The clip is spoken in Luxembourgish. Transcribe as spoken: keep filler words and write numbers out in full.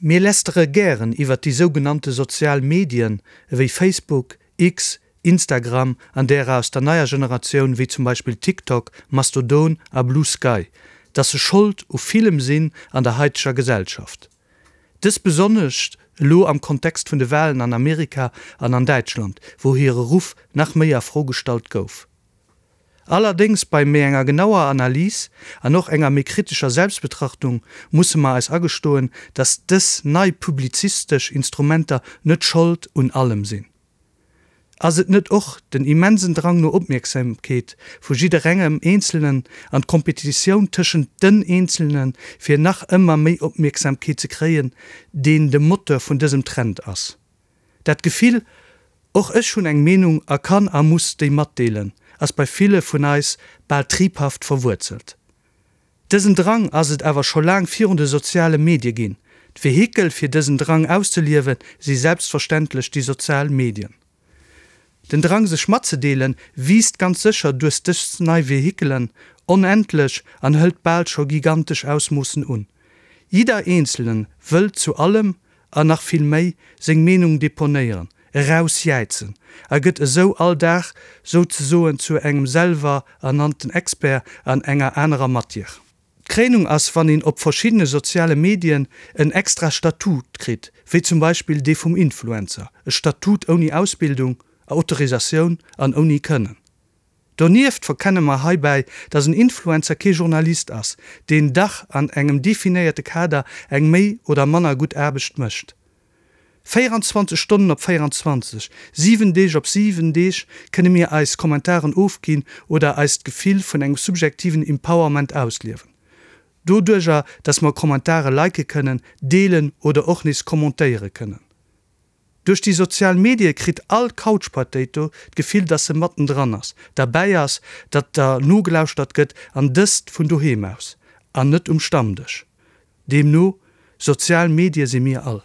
Mir lästere gären iwwer déi sougenannte sozial Medien ewéi Facebook, X, Instagram an derer aus der neier Generatioun wéi zum Beispill TikTok, Mastodon a Bluesky, dass se Schold u villem sinn an der haiteger Gesellschaft. Dëst besonnesch elo am Kontext vun de Walen an Amerika an an Däitschland, wou hire Ruff nach méi a Fro gestallt gouf. Allerdéngs bei méi enger genauer Analys an och enger méi kritescher Selbstbetrachtung musse mer eis agestoen, dass dës nei publizistesch Instrumenter net Schold un allem sinn. Ass et net och den immensen Drang no Opmierksamkeet vu jidderengem Eenzelnen an d'Kompetitioun tëschent den Eenzelnen, fir nach ëmmer méi Opmierksamkeet ze kréien, deen de Moteur vun dësem Trend ass? Dat Gefill, Och ech hunn eng Meenung a kann a muss déi matdeelen, ass bei ville vun eis bal triebhaft verwuerzelt. Dësen Drang ass et awer scho laang virun de soziale Medie ginn. D'Vehikel fir dësen Drang auszeliewe si selbstverständlech déi sozial Medien. Den Drang sech matzedeelen wiisst ganz sécher duerch dës nei Vehikelen onendlech an hëlt bal scho gigantesch Ausmoossen un. Jidder Eenzelen wëllt zu allem, an nach vill méi, seng Meenung deponéieren, erausjäizen a gëtt esou all Dag souzesoen zu engem selwer ernannten Expert an enger anerer Matière. D'Kréinung ass, wann een op verschiddene soziale Medien en extra Statut kritt, wéi zum Beispill dee vum Influencer, e Statut ouni Ausbildung, Autorisatioun an ouni Kënnen. Donieft verkenne mer heibäi, dass en Influencer kee Journalist ass, deen dach an engem definéierte Kader eng méi oder manner gutt Aarbecht mécht. Véieranzwanzeg Stonnen op véieranzwanzeg, siwen Deeg op siwen Deeg kënne mir eis Kommentaren ofginn oder eist Gefill vun engem subjektiven Empowerment ausliewen. Doduerjer, dass mer Kommentare like kënnen, deelen oder och nees kommentéiere kënnen. Duerch déi sozial Medie kritt all Couch Potato d'Gefill, dass se mattendran ass, derbäi ass, datt der nogelauschtert gëtt an dëst vun doheem aus an net um Stammdësch. Deemno, sozial Medie si mir all.